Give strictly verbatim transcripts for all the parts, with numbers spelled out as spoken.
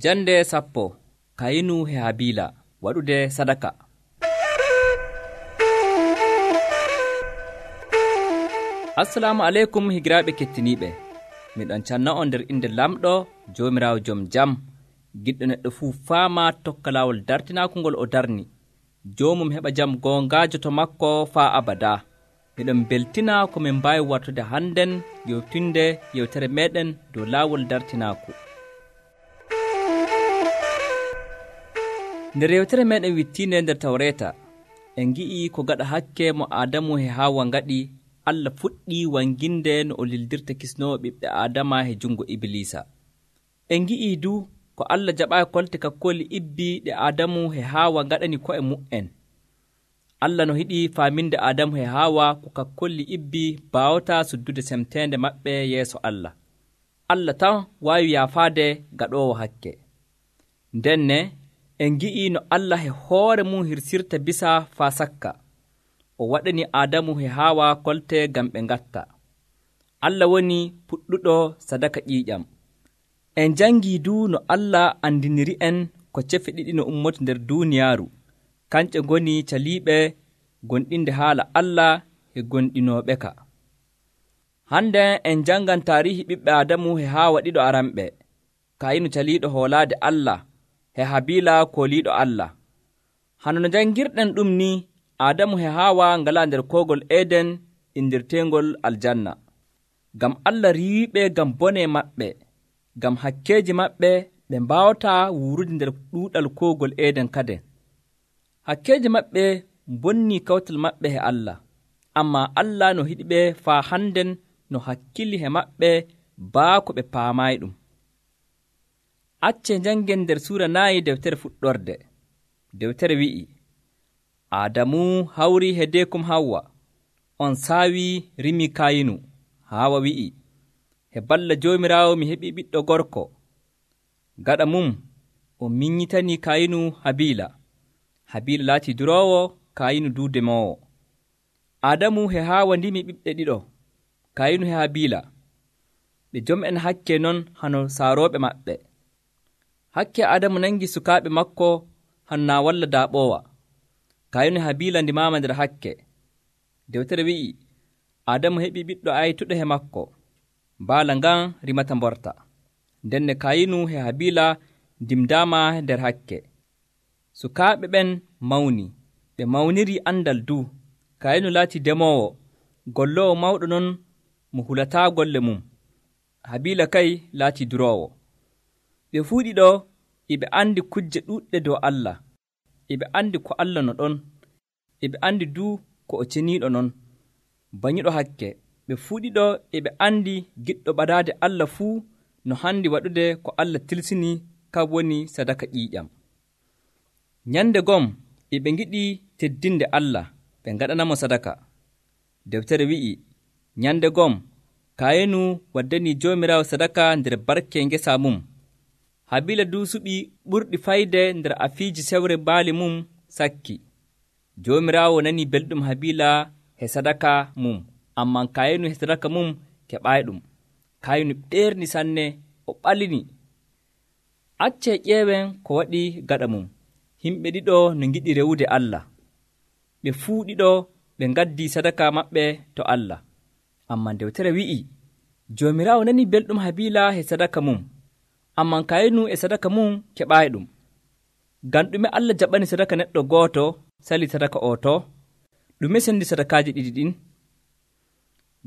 Jande sappo Kayinu e Habila waɗude sadaka. Assalamu aleykum higiraaɓe kettiniiɓe. Miɗon canna on nder inde lamɗo Joomiraawo joom jam, giɗɗo neɗɗo fuu faama tokka laawol dartinaako ngol o darni. Joomum heɓa jam goongaajo to makko faa abadaa. Miɗon beltina ko min mbaawi wartude hannden yewtinde yewtere meeɗen dow laawol dartinaaku. Nder yewtere meeɗen wittiinde nder Tawreeta, en ngi'ii ko gaɗa hakke mo Aadamu e Haawa ngaɗi, Allah fuɗɗii wanginde no o lildirta kisnoowo ɓiɓɓe Aadama e junngo Ibliisa. En ngi'ii du ko Allah jaɓaayi kolte kakkooli ibbi ɗe Aadamu e Haawa ngaɗani ko'e mu'en. Allah no hiɗi faaminde Aadamu e Haawa ko kakkolli ibbi baawataa suddude semteende maɓɓe yeeso Allah. Allah tan waawi yaafaade gaɗoowo hakke. Ndenne en ngi'ii no Allah e hoore mum hirsirta bisa faa sakka. O waɗani Aadamu e Haawa kolte ngam ɓe ngatta. Allah woni puɗɗuɗo sadaka ƴiiƴam. En janngii du no Allah andiniri'en ko cefe ɗiɗi no ummoto nder duuniyaaru, kanƴe ngoni caliiɓe gonɗinde haala Allah e gonɗinooɓe ka. Hande en janngan taarihi ɓiɓɓe Aadamu e Haawa ɗiɗo aranɓe, Kayinu caliiɗo hoolaade Allah e Habila kooliiɗo Allah. Hano no janngirɗen ɗum ni, Aadamu e Haawa ngalaa nder koogol Eden indirteengol aljanna. Ngam Allah riiwiɓe ngam bone maɓɓe, ngam hakkeeji maɓɓe ɓe mbaawataa wuurude nder ɗuuɗal koogol Eden kaden. Hakkeeji maɓɓe bonnii kawtal maɓɓe e Allah, ammaa Allah no hiɗiɓe faa hannden no hakkili e maɓɓe baako ɓe paamaayi ɗum. Acce njanngen nder suura naayi dewtere fuɗɗorde. Dewtere wi'i, Aadamu hawrii hedeekum Hawwa, on saawii rimii Kayinu. Haawa wi'i, he balla Joomiraawo mi heɓii ɓiɗɗo gorko. Gaɗa mum o minyitanii Kayinu Habila. Habila laatii duroowo, Kayinu duu demoowo. Aadamu e Haawa ndimi ɓiɓɓe ɗiɗo, Kayinu e Habila. Ɓe jom'en hakke non hano saarooɓe maɓɓe. Hakke Aadamu nangi sukaaɓe makko hano naa walla daaɓoowa. Kayinu e Habila ndimaama nder hakke. Dewtere wi'i, Aadamu heɓii ɓiɗɗo aytuɗo he makko. Baala ngan rimata mborta. Ndenne Kayinu e Habila ndimdaama nder hakke. Sukaaɓe ɓen mawni, ɓe mawnirii andal du. Kayinu laatii demoowo, golloowo mawɗo non mo hulataa golle mum. Habila kay laatii duroowo. Ɓe fuu ɗiɗo e ɓe andi kujje ɗuuɗɗe dow Allah. E ɓe andi ko Allah no ɗon. E ɓe andi du ko o ceniiɗo non. Bañuɗo hakke, ɓe fuu ɗiɗo e ɓe andi giɗɗo ɓadaade Allah fuu no handi waɗude ko Allah tilsini ka woni sadaka ƴiiƴam. Nyande gom e ɓe ngiɗi teddinde Allah, ɓe ngaɗanamo sadaka. Dewtere wi'i, nyande gom Kayinu waddanii Joomiraawo sadaka nder barke ngesa mum. Habila du suɓi ɓurɗi fayde nder afiiji sewre baali mum sakki. Joomiraawo nanii belɗum Habila he sadaka mum, ammaa Kayinu he sadaka mum keɓaayi-ɗum. Kayinu ɓeerni sanne, o ɓalini. Accee ƴeewen ko waɗi gaɗa mum. Himɓe ɗiɗo no ngiɗi rewude Allah. Ɓe fuu ɗiɗo ɓe ngaddii sadaka maɓɓe to Allah. Ammaa dewtere wi'i, Joomiraawo nanii belɗum Habila he sadaka mum, ammaa Kayinu e sadaka mum keɓaayi-ɗum. Ngam ɗume Allah jaɓani sadaka neɗɗo gooto sali sadaka o to? Ɗume sendi sadakaaji ɗiɗi ɗin?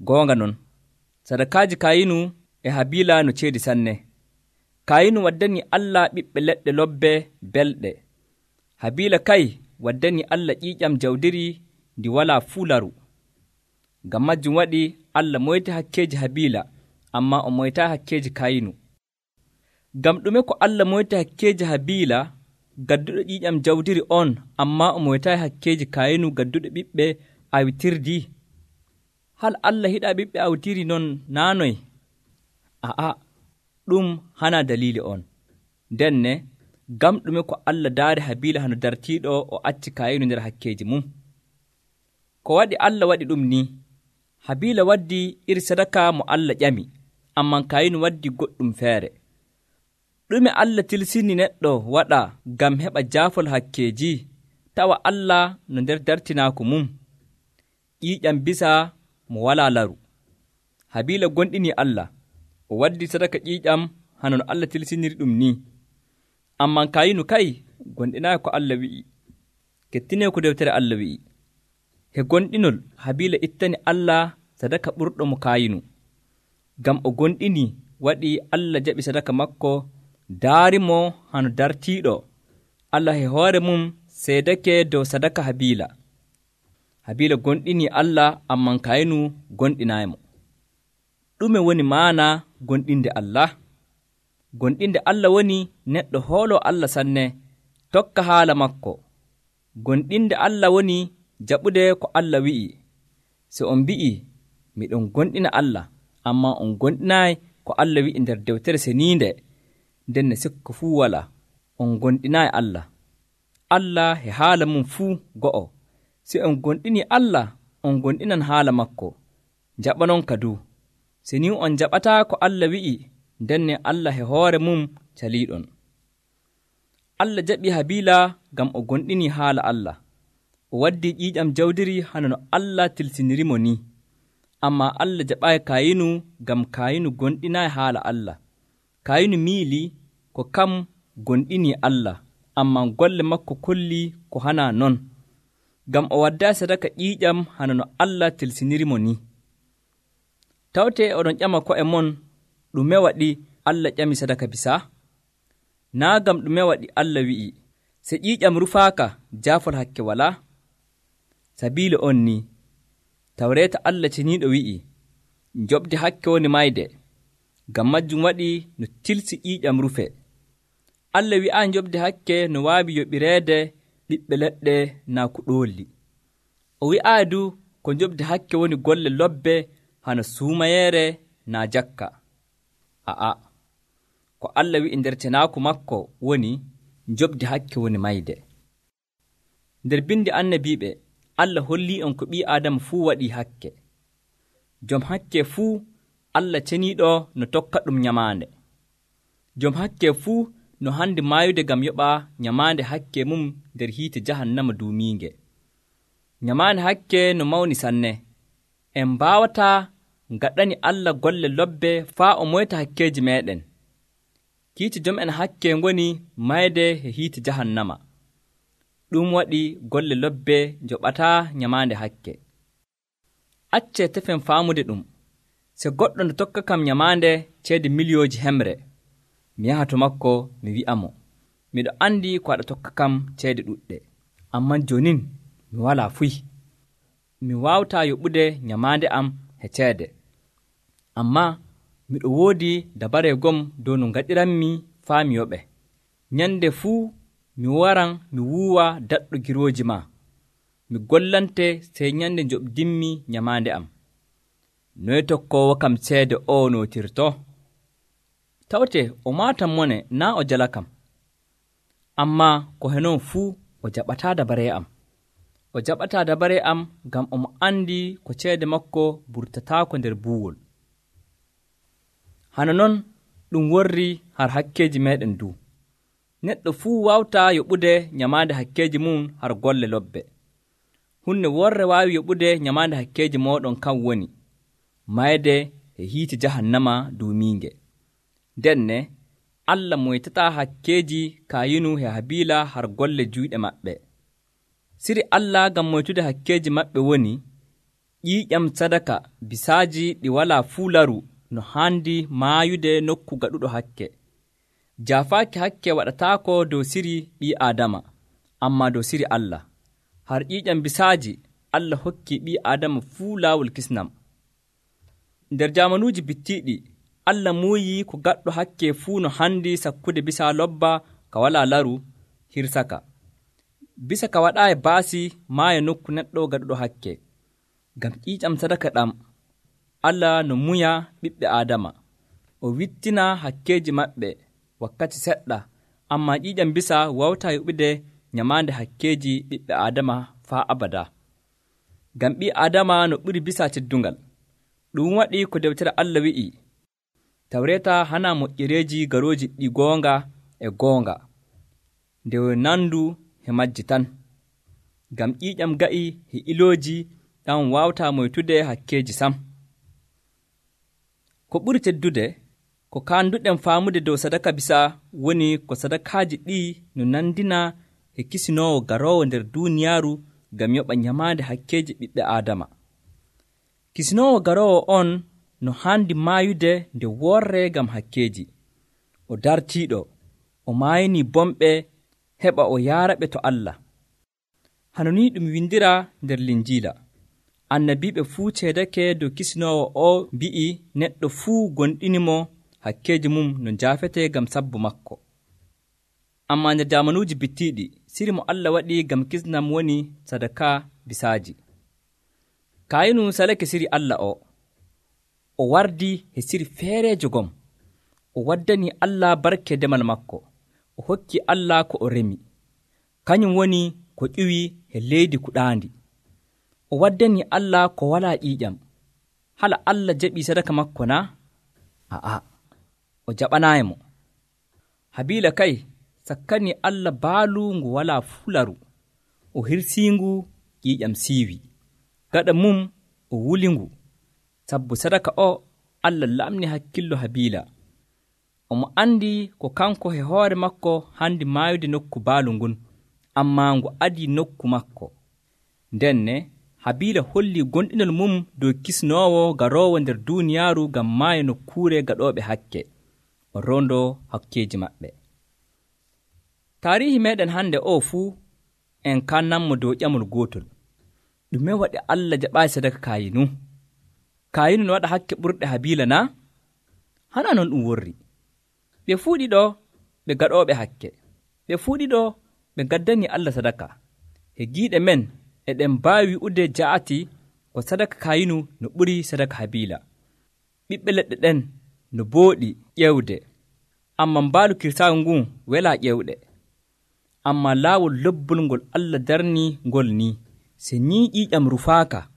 Goonga non, sadakaaji Kayinu e Habila no ceedi sanne. Kayinu waddanii Allah ɓiɓɓe leɗɗe lobbe belɗe. Habila kay waddanii Allah ƴiiƴam jawdiri ndi walaa fuu laru. Ngam majjum waɗi Allah moyti hakkeeji Habila, ammaa o moytaa hakkeeji Kayinu. Ngam ɗume ko Allah moyti hakkeeji Habila gadduɗo ƴiiƴam jawdiri on, ammaa o moytaayi hakkeeji Kayinu gadduɗo ɓiɓɓe awitirdi? Hal Allah hiɗaa ɓiɓɓe awtiri non naanoy? A'a, ɗum hana daliili on. Ndenne ngam ɗume ko Allah daari Habila hano dartiiɗo o acci Kayinu nder hakkeeji mum? Ko waɗi Allah waɗi ɗum ni, Habila waddi iri sadaka mo Allah ƴami, ammaa Kayinu waddi goɗɗum feere. ɗume Allah tilsini neɗɗo waɗa ngam heɓa jaafol hakkeeji tawa Allah no nder dartinaaku mum? ƴiiƴam bisa mo walaa laru. Habiila gonɗinii Allah, o waddi sadaka ƴiiƴam hana no Allah tilsiniri ɗum ni. Ammaa Kaayinu kay gonɗinaayi ko Allah wi'i. Kettinee ko deftere Allah wi'i. He gonɗinol Habiila ittani Allah sadaka ɓurɗo mo Kaayinu. Ngam o gonɗini waɗi Allah jaɓi sadaka makko, daarimo hano dartiiɗo. Allah he hoore mum seedake dow sadaka Habiila. Habiila gonɗinii Allah, ammaa Kaayinu gonɗinaayimo. Ɗume woni maana gonɗinde Allah? Gonɗinde Allah woni neɗɗo hooloo Allah sanne, tokka haala makko. Gonɗinde Allah woni jaɓude ko Allah wi'i. So on mbi'ii, miɗon gonɗina Allah, ammaa on gonɗinaayi ko Allah wi'i nder dewtere seniinde, nden ne sikka fuu walaa, on gonɗinaayi Allah. Allah e haala mum fuu go'o. Si on gonɗinii Allah, on gonɗinan haala makko. Jaɓanon kadu. Si ni on jaɓataa ko Allah wi'i, nden ne Allah e hoore mum caliiɗon. Allah jaɓii Habiila ngam o gonɗinii haala Allah. O waddii ƴiiƴam jawdiri hana no Allah tilsinirimo ni. Ammaa Allah jaɓaayi Kaayinu ngam Kaayinu gonɗinaayi haala Allah. Kaayinu miilii ko kam gonɗinii Allah, ammaa golle makko kollii ko hanaa non, ngam o waddaayi sadaka ƴiiƴam hana no Allah tilsinirimo ni. Tawtee oɗon ƴama ko'e mon, ɗume waɗi Allah ƴami sadaka bisa? Naa ngam ɗume waɗi Allah wi'i, so ƴiiƴam rufaaka jaafol hakke walaa? Sabiila on ni, Tawreeta Allah ceniiɗo wi'i, njoɓdi hakke woni mayde, ngam majjum waɗi no tilsi ƴiiƴam rufe. Allah wi'aa njoɓdi hakke no waawi yoɓireede ɓiɓɓe leɗɗe naa kuɗoolli. O wi'aa du ko njoɓdi hakke woni golle lobbe hana suumayeere naa jakka. A'a, ko Allah wi'i nder tenaaku makko woni njoɓdi hakke woni mayde. Nder bindi annabiiɓe, Allah hollii on ko ɓii Aadama fuu waɗii hakke. Jom hakke fuu Allah ceniiɗo no tokka ɗum nyamaande. Jom hakke fuu no handi maayude ngam yoɓa nyamaande hakke mum nder hiite jahannama duumiinge. Nyamaande hakke no mawni sanne. En mbaawataa ngaɗani Allah golle lobbe faa o moyta hakkeeji meeɗen. Kiiti jom en hakke ngoni mayde e hiite jahannama. Ɗum waɗi golle lobbe njoɓataa nyamaande hakke. Accee tefen faamude ɗum. Se goɗɗo no tokka kam nyamaande ceede miliyooji hemre, mi yaha to makko mi wi'amo, miɗo anndi ko aɗa tokka kam ceede ɗuɗɗe, amman jonin mi walaa fuy. Mi waawataa yoɓude nyamaande am e ceede. Ammaa miɗo woodi dabareegom dow no ngaɗiranmi faa mi yoɓe. Nyande fuu mi waran mi wuuwa daɗɗo girooji ma. Mi gollante sey nyande njoɓdinmi nyamaande am. Noye tokkoowo kam ceede o nootirto? Tawte o maatan mone naa o jala kam. Ammaa ko henon fuu o jaɓataa dabaree am. O jaɓataa dabaree am ngam omo anndi ko ceede makko burtataako nder buuwol. Hana non ɗum worri har hakkeeji meeɗen du. Neɗɗo fuu waawtaa yoɓude nyamaande hakkeeji mum har golle lobbe. Hunde worre waawi yoɓude nyamaande hakkeeji mooɗon kam woni mayde e hiite jahannama duumiinge. Denne Allah moytataa hakkeeji Kaayinu e Habiila har golle juyɗe maɓɓe. Siri Allah ngam moytude hakkeeji maɓɓe woni ƴiiƴam sadaka bisaaji ɗi walaa fuu laru no haandi maayude nokku gaɗuɗo hakke. Jaafaaki hakke waɗataako dow siri ɓii Aadama, ammaa dow siri Allah. Har ƴiiƴam bisaaji Allah hokki ɓii Aadama fuu laawol kisnam. Nder jaamanuuji bittiiɗi, Allah muuyi ko gaɗɗo hakke fuu no handi sakkude bisa lobba ka walaa laru hirsaka. Bisa ka waɗaayi baasi maaya nokku neɗɗo gaɗuɗo hakke. Ngam ƴiiƴam sadaka ɗam, Allah no muya ɓiɓɓe Aadama. O wittina hakkeeji maɓɓe wakkati seɗɗa, ammaa ƴiiƴam bisa wawtaa yoɓude nyamaande hakkeeji ɓiɓɓe Aadama faa abada. Ngam ɓii Aadama no ɓuri bisa teddungal. Ɗum waɗi ko dewtere Allah wi'i, Tawreeta hana moƴƴereeji garooji ɗi goonga e goonga nde nandu he majji tan, ngam ƴiiƴam ga'i he ilooji ɗam waawtaa moytude hakkeeji sam. Ko ɓuri teddude ko kaanduɗen faamude dow sadaka bisa woni ko sadakaaji ɗi no nandina he kisinoowo garoowo nder duuniyaaru ngam yoɓa nyamaande hakkeeji ɓiɓɓe Aadama. Kisinoowo garoowo on no haandi maayude nde worree ngam hakkeeji. O dartiiɗo, o maayini bomɓe heɓa o yaaraɓe to Allah. Hano ni ɗum windira nder Linjiila. Annabiiɓe fuu ceedake dow kisinoowo o mbi'i neɗɗo fuu gonɗinimo hakkeeji mum no njaafete ngam sabbu makko. Ammaa nder jaamanuuji bittiiɗi, siri mo Allah waɗi ngam kisnam woni sadaka bisaaji. Kaayinu salake siri Allah o. O wardi he siri feereejo gom. O waddani Allah barke demal makko. O hokki Allah ko o remi. Kañum woni ko ƴiwi he leydi kuɗaandi. O waddani Allah ko walaa ƴiiƴam. Hala Allah jaɓii sadaka makko na? A'a, o jaɓanaayimo. Habiila kay sakkani Allah baalu ngu walaa fularu. O hirsiingu ƴiiƴam siiwi. Gaɗa mum o wulingu. Sabbu sadaka o, Allah lamni hakkillo Habiila. Omo andi ko kanko he hoore makko handi maayude nokku baalu ngun, ammaa ngu adii nokku makko. Ndenne Habiila holli gonɗinol mum dow kisnoowo garoowo nder duuniyaaru ngam maayo nokkuure gaɗooɓe hakke, o rondo hakkeeji maɓɓe. Taarihi meeɗen hande o fuu en kannanmo dow ƴamol gootol. Ɗume waɗi Allah jaɓaayi sadaka Kaayinu? Kaayinu no waɗa hakke ɓurɗe Habiila na? Hana non ɗum worri. Ɓe fuu ɗiɗo ɓe gaɗooɓe hakke. Ɓe fuu ɗiɗo ɓe gaddani Allah sadaka. He giiɗe men eɗen mbaawi wi'ude ja'ati ko sadaka Kaayinu no ɓuri sadaka Habiila. Ɓiɓɓe leɗɗe ɗen no booɗi ƴewde, ammaa mbaalu kirsaagu ngun welaa ƴewɗe. Ammaa laawol lobbol ngol Allah darni ngol ni, se ni ƴiiƴam rufaaka,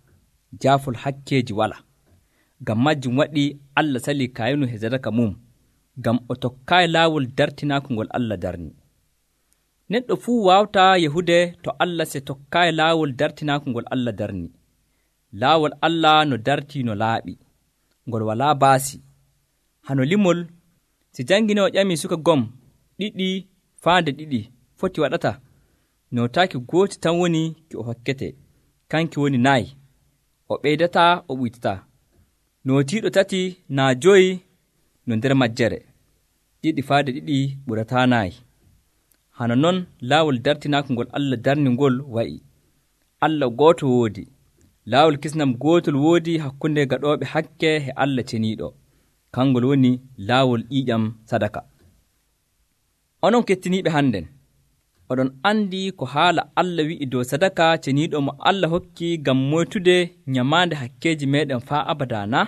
jaafol hakkeeji wala. Ngam majjum waɗi Allah salii Kaayinu he sadaka mum, ngam o tokkaayi laawol dartinaaku ngol Allah darni. Neɗɗo fuu waawtaa yahude to Allah se tokkaayi laawol dartinaaku ngol Allah darni. Laawol Allah no dartii no laaɓi, ngol walaa baasi. Hano limol, si janginoowo ƴamii suka gom ɗiɗi faande ɗiɗi foti waɗata, nootaaki gooti tan woni ki o hokkete, kanki woni nayi. O ɓeydataa o ɓuytataa. Nootiiɗo tati naa joyi no nder majjere. Ɗiɗi faade ɗiɗi ɓurataa nayi. Hano non laawol dartinaaku ngol Allah darni ngol wa'i. Allah gooto woodi. Laawol kisnam gootol woodi hakkunde gaɗooɓe hakke he Allah ceniiɗo. Kangol woni laawol ƴiiƴam sadaka. Onon kettiniiɓe hannden, oɗon andi ko haala Allah wi'i dow sadaka ceniiɗo mo Allah hokki ngam moytude nyamaande hakkeeji meeɗen faa abada na?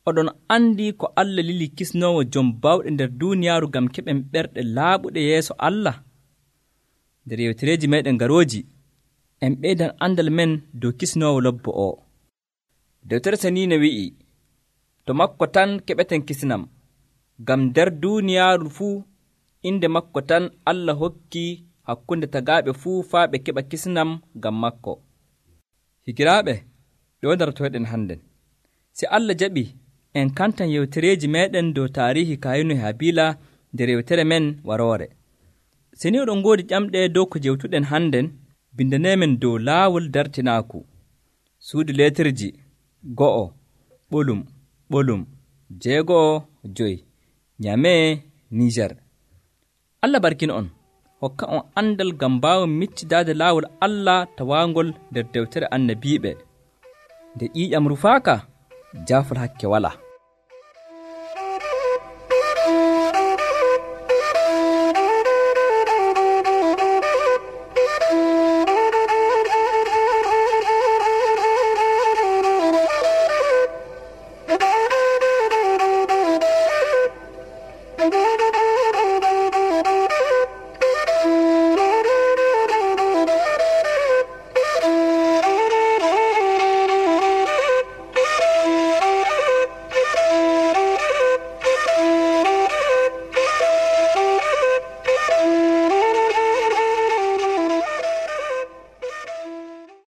Oɗon andi ko Allah lili kisnoowo jom bawɗe nder duuniyaaru ngam keɓen ɓerɗe laaɓuɗe yeeso Allah. Nder yewtereeji meeɗen garooji, en ɓeydan andal men dow kisnoowo lobbo o. Dewtere saniine wi'i, to makko tan keɓeten kisnam, ngam nder duuniyaaru fuu inde makko tan Allah hokki hakkunde tagaaɓe fuu faa ɓe keɓa kisnam ngam makko. Higiraaɓe, ɗo dartoyɗen hannden. Si Allah jaɓi, en kantan yewtereeji meeɗen dow taarihi Kaayinu e Habiila nder yewtere men waroore. Si ni oɗon ngoodi ƴamɗe dow ko jewtuɗen hannden, bindaneemen dow laawol dartinaaku. Suudu leetirji go'o ɓolum ɓolum jeego'o joyi Nyamee Niijer. Allah barkina on, hokka on andal ngam mbaawon miccidaade laawol Allah tawaangol nder dewtere annabiiɓe. Nde ƴiiƴam rufaaka, jaafol hakke walaa.